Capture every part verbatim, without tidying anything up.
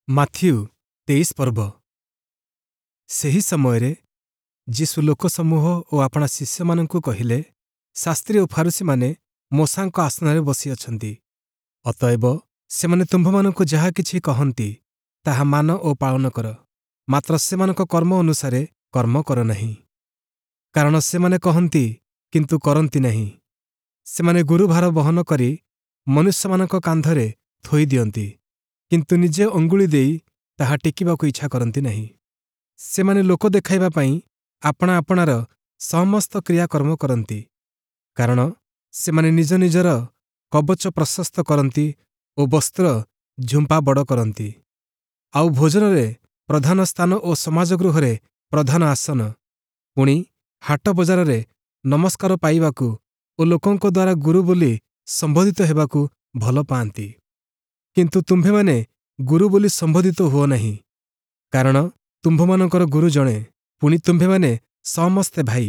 Matthew ତେଇଶ ପର୍ବ ସେହି ସମୟରେ ଯୀଶୁ ଲୋକସମୂହ ଓ ଆପଣା ଶିଷ୍ୟମାନଙ୍କୁ କହିଲେ, ଶାସ୍ତ୍ରୀ ଓ ଫାରୂଶୀମାନେ ମୋଶାଙ୍କ ଆସନରେ ବସିଅଛନ୍ତି। ଅତଏବ ସେମାନେ ତୁମ୍ଭମାନଙ୍କୁ ଯାହା କିଛି କହନ୍ତି, ତାହା ମାନ ଓ ପାଳନ କର, ମାତ୍ର ସେମାନଙ୍କ କର୍ମ ଅନୁସାରେ କର୍ମ କର ନାହିଁ। କାରଣ ସେମାନେ କହନ୍ତି, କିନ୍ତୁ କରନ୍ତି ନାହିଁ। ସେମାନେ ଗୁରୁଭାର ବହନ କରି ମନୁଷ୍ୟମାନଙ୍କ କାନ୍ଧରେ ଥୋଇ ଦିଅନ୍ତି, କିନ୍ତୁ ନିଜେ ଅଙ୍ଗୁଳି ଦେଇ ତାହା ଟେକିବାକୁ ଇଚ୍ଛା କରନ୍ତି ନାହିଁ। ସେମାନେ ଲୋକ ଦେଖାଇବା ପାଇଁ ଆପଣା ଆପଣାର ସମସ୍ତ କ୍ରିୟାକର୍ମ କରନ୍ତି, କାରଣ ସେମାନେ ନିଜ ନିଜର କବଚ ପ୍ରଶସ୍ତ କରନ୍ତି ଓ ବସ୍ତ୍ର ଝୁମ୍ପା ବଡ଼ କରନ୍ତି। ଆଉ ଭୋଜନରେ ପ୍ରଧାନ ସ୍ଥାନ ଓ ସମାଜଗୃହରେ ପ୍ରଧାନ ଆସନ, ପୁଣି ହାଟ ବଜାରରେ ନମସ୍କାର ପାଇବାକୁ ଓ ଲୋକଙ୍କ ଦ୍ୱାରା ଗୁରୁ ବୋଲି ସମ୍ବୋଧିତ ହେବାକୁ ଭଲ ପାଆନ୍ତି। କିନ୍ତୁ ତୁମ୍ଭେମାନେ ଗୁରୁ ବୋଲି ସମ୍ବୋଧିତ ହୁଅ ନାହିଁ, କାରଣ ତୁମ୍ଭମାନଙ୍କର ଗୁରୁ ଜଣେ, ପୁଣି ତୁମ୍ଭେମାନେ ସମସ୍ତେ ଭାଇ।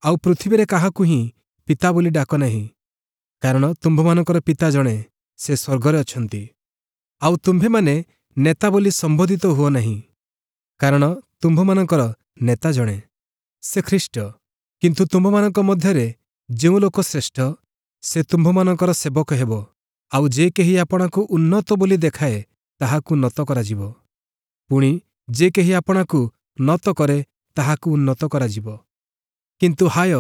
ଆଉ ପୃଥିବୀରେ କାହାକୁ ହିଁ ପିତା ବୋଲି ଡାକ ନାହିଁ, କାରଣ ତୁମ୍ଭମାନଙ୍କର ପିତା ଜଣେ, ସେ ସ୍ୱର୍ଗରେ ଅଛନ୍ତି। ଆଉ ତୁମ୍ଭେମାନେ ନେତା ବୋଲି ସମ୍ବୋଧିତ ହୁଅ ନାହିଁ, କାରଣ ତୁମ୍ଭମାନଙ୍କର ନେତା ଜଣେ, ସେ ଖ୍ରୀଷ୍ଟ। କିନ୍ତୁ ତୁମ୍ଭମାନଙ୍କ ମଧ୍ୟରେ ଯେଉଁ ଲୋକ ଶ୍ରେଷ୍ଠ, ସେ ତୁମ୍ଭମାନଙ୍କର ସେବକ ହେବ। ଆଉ ଯେ କେହି ଆପଣାକୁ ଉନ୍ନତ ବୋଲି ଦେଖାଏ, ତାହାକୁ ନତ କରାଯିବ। ପୁଣି ଯେ କେହି ଆପଣାକୁ ନତ କରେ, ତାହାକୁ ଉନ୍ନତ କରାଯିବ। କିନ୍ତୁ ହାୟ,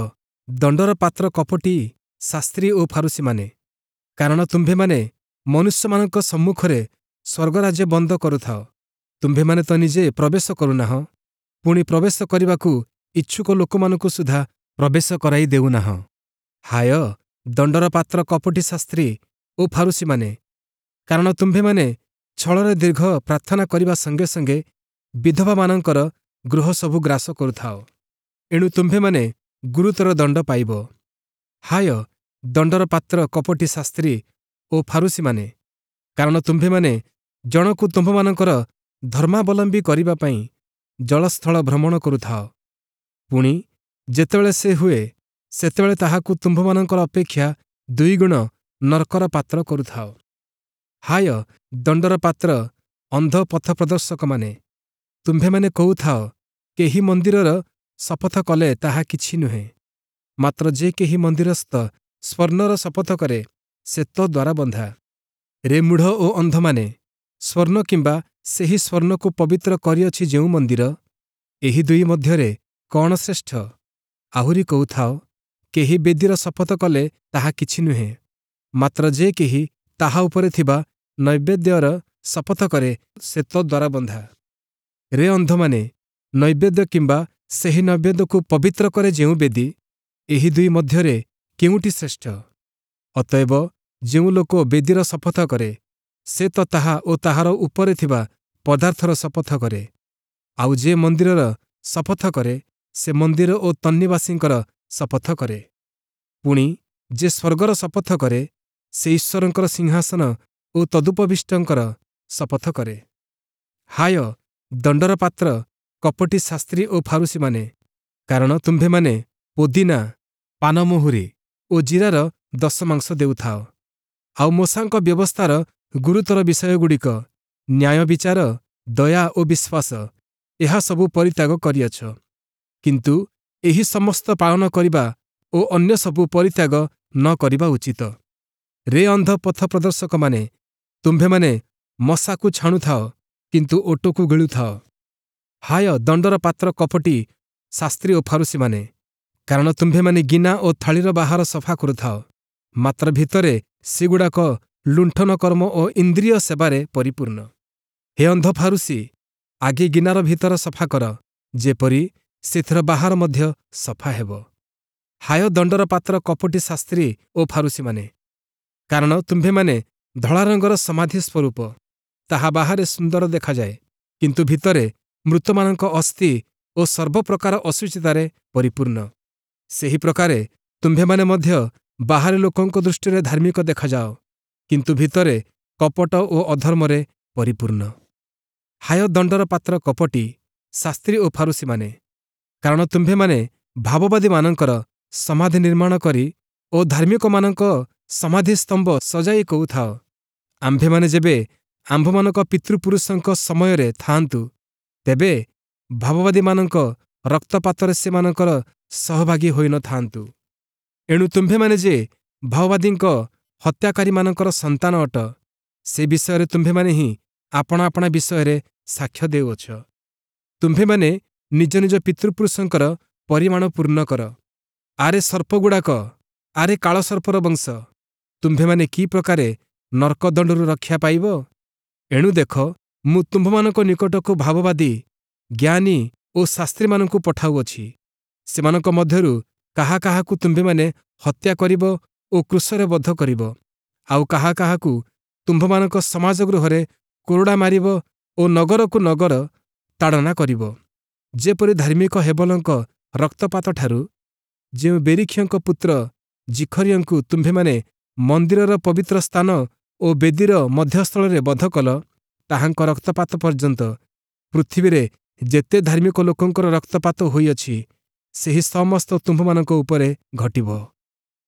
ଦଣ୍ଡର ପାତ୍ର କପଟୀ ଶାସ୍ତ୍ରୀ ଓ ଫାରୂଶୀମାନେ! କାରଣ ତୁମ୍ଭେମାନେ ମନୁଷ୍ୟମାନଙ୍କ ସମ୍ମୁଖରେ ସ୍ୱର୍ଗରାଜ୍ୟ ବନ୍ଦ କରୁଥାଅ। ତୁମ୍ଭେମାନେ ତ ନିଜେ ପ୍ରବେଶ କରୁନାହଁ, ପୁଣି ପ୍ରବେଶ କରିବାକୁ ଇଚ୍ଛୁକ ଲୋକମାନଙ୍କୁ ସୁଦ୍ଧା ପ୍ରବେଶ କରାଇ ଦେଉନାହଁ। ହାୟ, ଦଣ୍ଡର ପାତ୍ର କପଟୀ ଶାସ୍ତ୍ରୀ ଓ ଫାରୂଶୀମାନେ! କାରଣ ତୁମ୍ଭେମାନେ ଛଳରେ ଦୀର୍ଘ ପ୍ରାର୍ଥନା କରିବା ସଙ୍ଗେ ସଙ୍ଗେ ବିଧବାମାନଙ୍କର ଗୃହସବୁ ଗ୍ରାସ କରୁଥାଅ। ଏଣୁ ତୁମ୍ଭେମାନେ ଗୁରୁତର ଦଣ୍ଡ ପାଇବ। ହାୟ, ଦଣ୍ଡର ପାତ୍ର କପଟୀ ଶାସ୍ତ୍ରୀ ଓ ଫାରୂଶୀମାନେ! କାରଣ ତୁମ୍ଭେମାନେ ଜଣକୁ ତୁମ୍ଭମାନଙ୍କର ଧର୍ମାବଲମ୍ବୀ କରିବା ପାଇଁ ଜଳସ୍ଥଳ ଭ୍ରମଣ କରୁଥାଅ। ପୁଣି ଯେତେବେଳେ ସେ ହୁଏ, ସେତେବେଳେ ତାହାକୁ ତୁମ୍ଭମାନଙ୍କର ଅପେକ୍ଷା ଦୁଇଗୁଣ ନର୍କର ପାତ୍ର କରୁଥାଅ। ହାୟ, ଦଣ୍ଡର ପାତ୍ର ଅନ୍ଧ ପଥପ୍ରଦର୍ଶକମାନେ! ତୁମ୍ଭେମାନେ କହୁଥାଅ, କେହି ମନ୍ଦିରର ଶପଥ କଲେ ତାହା କିଛି ନୁହେଁ, ମାତ୍ର ଯେ କେହି ମନ୍ଦିରସ୍ଥ ସ୍ୱର୍ଣ୍ଣର ଶପଥ କରେ, ସେ ତଦ୍ଦ୍ୱାରା ବନ୍ଧା। ରେ ମୂଢ଼ ଓ ଅନ୍ଧମାନେ! ସ୍ୱର୍ଣ୍ଣ କିମ୍ବା ସେହି ସ୍ୱର୍ଣ୍ଣକୁ ପବିତ୍ର କରିଅଛି ଯେଉଁ ମନ୍ଦିର, ଏହି ଦୁଇ ମଧ୍ୟରେ କଅଣ ଶ୍ରେଷ୍ଠ? ଆହୁରି କହୁଥାଅ, କେହି ବେଦିର ଶପଥ କଲେ ତାହା କିଛି ନୁହେଁ, ମାତ୍ର ଯେ କେହି ତାହା ଉପରେ ଥିବା ନୈବେଦ୍ୟର ଶପଥ କରେ, ସେ ତଦ୍ଦ୍ୱାରା ବନ୍ଧା। ରେ ଅନ୍ଧମାନେ! ନୈବେଦ୍ୟ କିମ୍ବା ସେହି ନୈବେଦ୍ୟକୁ ପବିତ୍ର କରେ ଯେଉଁ ବେଦି, ଏହି ଦୁଇ ମଧ୍ୟରେ କେଉଁଟି ଶ୍ରେଷ୍ଠ? ଅତଏବ ଯେଉଁ ଲୋକ ବେଦିର ଶପଥ କରେ, ସେ ତ ତାହା ଓ ତାହାର ଉପରେ ଥିବା ପଦାର୍ଥର ଶପଥ କରେ। ଆଉ ଯେ ମନ୍ଦିରର ଶପଥ କରେ, ସେ ମନ୍ଦିର ଓ ତନ୍ନିବାସୀଙ୍କର ଶପଥ କରେ। ପୁଣି ଯେ ସ୍ୱର୍ଗର ଶପଥ କରେ, ସେ ଈଶ୍ୱରଙ୍କର ସିଂହାସନ ଓ ତଦୁପବିଷ୍ଟଙ୍କର ଶପଥ କରେ। ହାୟ, ଦଣ୍ଡର ପାତ୍ର କପଟୀ ଶାସ୍ତ୍ରୀ ଓ ଫାରୂଶୀମାନେ! କାରଣ ତୁମ୍ଭେମାନେ ପୋଦିନା, ପାନମହୁରୀ ଓ ଜିରାର ଦଶମାଂଶ ଦେଉଥାଅ। ଆଉ ମୋଶାଙ୍କ ବ୍ୟବସ୍ଥାର ଗୁରୁତର ବିଷୟଗୁଡ଼ିକ, ନ୍ୟାୟବିଚାର, ଦୟା ଓ ବିଶ୍ୱାସ, ଏହା ସବୁ ପରିତ୍ୟାଗ କରିଅଛ। କିନ୍ତୁ ଏହି ସମସ୍ତ ପାଳନ କରିବା ଓ ଅନ୍ୟ ସବୁ ପରିତ୍ୟାଗ ନ କରିବା ଉଚିତ। ରେ ଅନ୍ଧ ପଥପ୍ରଦର୍ଶକମାନେ! ତୁମ୍ଭେମାନେ ମଶାକୁ ଛାଣୁଥାଅ, କିନ୍ତୁ ଓଟକୁ ଗିଳୁଥାଅ। ହାୟ, ଦଣ୍ଡର ପାତ୍ର କପଟୀ ଶାସ୍ତ୍ରୀ ଓ ଫାରୂଶୀମାନେ! କାରଣ ତୁମ୍ଭେମାନେ ଗିନା ଓ ଥାଳିର ବାହାର ସଫା କରୁଥାଅ, ମାତ୍ର ଭିତରେ ସେଗୁଡ଼ାକ ଲୁଣ୍ଠନ କର୍ମ ଓ ଇନ୍ଦ୍ରିୟ ସେବାରେ ପରିପୂର୍ଣ୍ଣ। ହେ ଅନ୍ଧ ଫାରୂଶୀ, ଆଗେ ଗିନାର ଭିତର ସଫା କର, ଯେପରି ସେଥିର ବାହାର ମଧ୍ୟ ସଫା ହେବ। ହାୟ, ଦଣ୍ଡର ପାତ୍ର କପଟୀ ଶାସ୍ତ୍ରୀ ଓ ଫାରୂଶୀମାନେ! କାରଣ ତୁମ୍ଭେମାନେ ଧଳା ରଙ୍ଗର ସମାଧି ସ୍ୱରୂପ, ତାହା ବାହାରେ ସୁନ୍ଦର ଦେଖାଯାଏ, କିନ୍ତୁ ଭିତରେ ମୃତମାନଙ୍କ ଅସ୍ଥି ଓ ସର୍ବପ୍ରକାର ଅଶୁଚିତାରେ ପରିପୂର୍ଣ୍ଣ। ସେହି ପ୍ରକାରେ ତୁମ୍ଭେମାନେ ମଧ୍ୟ ବାହାରେ ଲୋକଙ୍କ ଦୃଷ୍ଟିରେ ଧାର୍ମିକ ଦେଖାଯାଅ, କିନ୍ତୁ ଭିତରେ କପଟ ଓ ଅଧର୍ମରେ ପରିପୂର୍ଣ୍ଣ। ହାୟ, ଦଣ୍ଡର ପାତ୍ର କପଟୀ ଶାସ୍ତ୍ରୀ ଓ ଫାରୂଶୀମାନେ! କାରଣ ତୁମ୍ଭେମାନେ ଭାବବାଦୀମାନଙ୍କର ସମାଧି ନିର୍ମାଣ କରି ଓ ଧାର୍ମିକମାନଙ୍କ ସମାଧିସ୍ତମ୍ଭ ସଜାଇ କହୁଥାଅ, ଆମ୍ଭେମାନେ ଯେବେ ଆମ୍ଭମାନଙ୍କ ପିତୃପୁରୁଷଙ୍କ ସମୟରେ ଥାଆନ୍ତୁ, ତେବେ ଭାବବାଦୀମାନଙ୍କ ରକ୍ତପାତରେ ସେମାନଙ୍କର ସହଭାଗୀ ହୋଇନଥାନ୍ତୁ। ଏଣୁ ତୁମ୍ଭେମାନେ ଯେ ଭାବବାଦୀଙ୍କ ହତ୍ୟାକାରୀମାନଙ୍କର ସନ୍ତାନ ଅଟ, ସେ ବିଷୟରେ ତୁମ୍ଭେମାନେ ହିଁ ଆପଣା ଆପଣା ବିଷୟରେ ସାକ୍ଷ୍ୟ ଦେଉଅଛ। ତୁମ୍ଭେମାନେ ନିଜ ନିଜ ପିତୃପୁରୁଷଙ୍କର ପରିମାଣ ପୂର୍ଣ୍ଣ କର। ଆରେ ସର୍ପଗୁଡ଼ାକ, ଆରେ କାଳସର୍ପର ବଂଶ, ତୁମ୍ଭେମାନେ କି ପ୍ରକାରେ ନର୍କଦଣ୍ଡରୁ ରକ୍ଷା ପାଇବ? ଏଣୁ ଦେଖ, ମୁଁ ତୁମ୍ଭମାନଙ୍କ ନିକଟକୁ ଭାବବାଦୀ, ଜ୍ଞାନୀ ଓ ଶାସ୍ତ୍ରୀମାନଙ୍କୁ ପଠାଉଅଛି। ସେମାନଙ୍କ ମଧ୍ୟରୁ କାହା କାହାକୁ ତୁମ୍ଭେମାନେ ହତ୍ୟା କରିବ ଓ କ୍ରୁଶରେ ବଧ କରିବ, ଆଉ କାହା କାହାକୁ ତୁମ୍ଭମାନଙ୍କ ସମାଜ ଗୃହରେ କୋରଡ଼ା ମାରିବ ଓ ନଗରକୁ ନଗର ତାଡ଼ନା କରିବ। ଯେପରି ଧାର୍ମିକ ହେବଲଙ୍କ ରକ୍ତପାତଠାରୁ ଯେଉଁ ବେରିଖିୟଙ୍କ ପୁତ୍ର ଜିଖରିୟଙ୍କୁ ତୁମ୍ଭେମାନେ ମନ୍ଦିରର ପବିତ୍ର ସ୍ଥାନ ଓ ବେଦୀର ମଧ୍ୟସ୍ଥଳରେ ବଧ କଲ, ତାହାଙ୍କ ରକ୍ତପାତ ପର୍ଯ୍ୟନ୍ତ ପୃଥିବୀରେ ଯେତେ ଧାର୍ମିକ ଲୋକଙ୍କର ରକ୍ତପାତ ହୋଇଅଛି, ସେହି ସମସ୍ତ ତୁମ୍ଭମାନଙ୍କ ଉପରେ ଘଟିବ।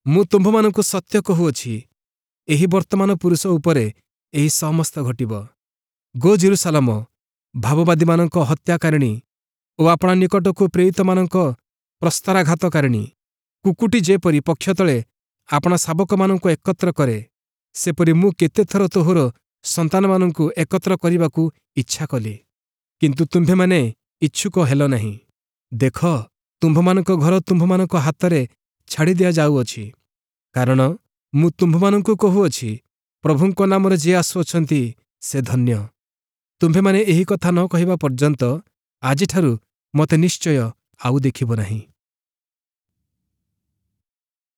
ମୁଁ ତୁମ୍ଭମାନଙ୍କୁ ସତ୍ୟ କହୁଅଛି, ଏହି ବର୍ତ୍ତମାନ ପୁରୁଷ ଉପରେ ଏହି ସମସ୍ତ ଘଟିବ। ଗୋ ଯିରୂଶାଲମ, ଭାବବାଦୀମାନଙ୍କ ହତ୍ୟାକାରିଣୀ ଓ ଆପଣା ନିକଟକୁ ପ୍ରେରିତମାନଙ୍କ ପ୍ରସ୍ତରାଘାତକାରିଣୀ, କୁକ୍କୁଟୀ ଯେପରି ପକ୍ଷ ତଳେ ଆପଣା ଶାବକମାନଙ୍କୁ ଏକତ୍ର କରେ, ସେପରି ମୁଁ କେତେଥର ତୋହର ସନ୍ତାନମାନଙ୍କୁ ଏକତ୍ର କରିବାକୁ ଇଚ୍ଛା କଲି, କିନ୍ତୁ ତୁମ୍ଭେମାନେ ଇଚ୍ଛୁକ ହେଲ ନାହିଁ। ଦେଖ, ତୁମ୍ଭମାନଙ୍କ ଘର ତୁମ୍ଭମାନଙ୍କ ହାତରେ ଛାଡ଼ି ଦିଆଯାଉଅଛି। କାରଣ ମୁଁ ତୁମ୍ଭମାନଙ୍କୁ କହୁଅଛି, ପ୍ରଭୁଙ୍କ ନାମରେ ଯିଏ ଆସୁଅଛନ୍ତି, ସେ ଧନ୍ୟ। ତୁମ୍ଭେମାନେ ଏହି କଥା ନ କହିବା ପର୍ଯ୍ୟନ୍ତ ଆଜିଠାରୁ ମୋତେ ନିଶ୍ଚୟ ଆଉ ଦେଖିବ ନାହିଁ।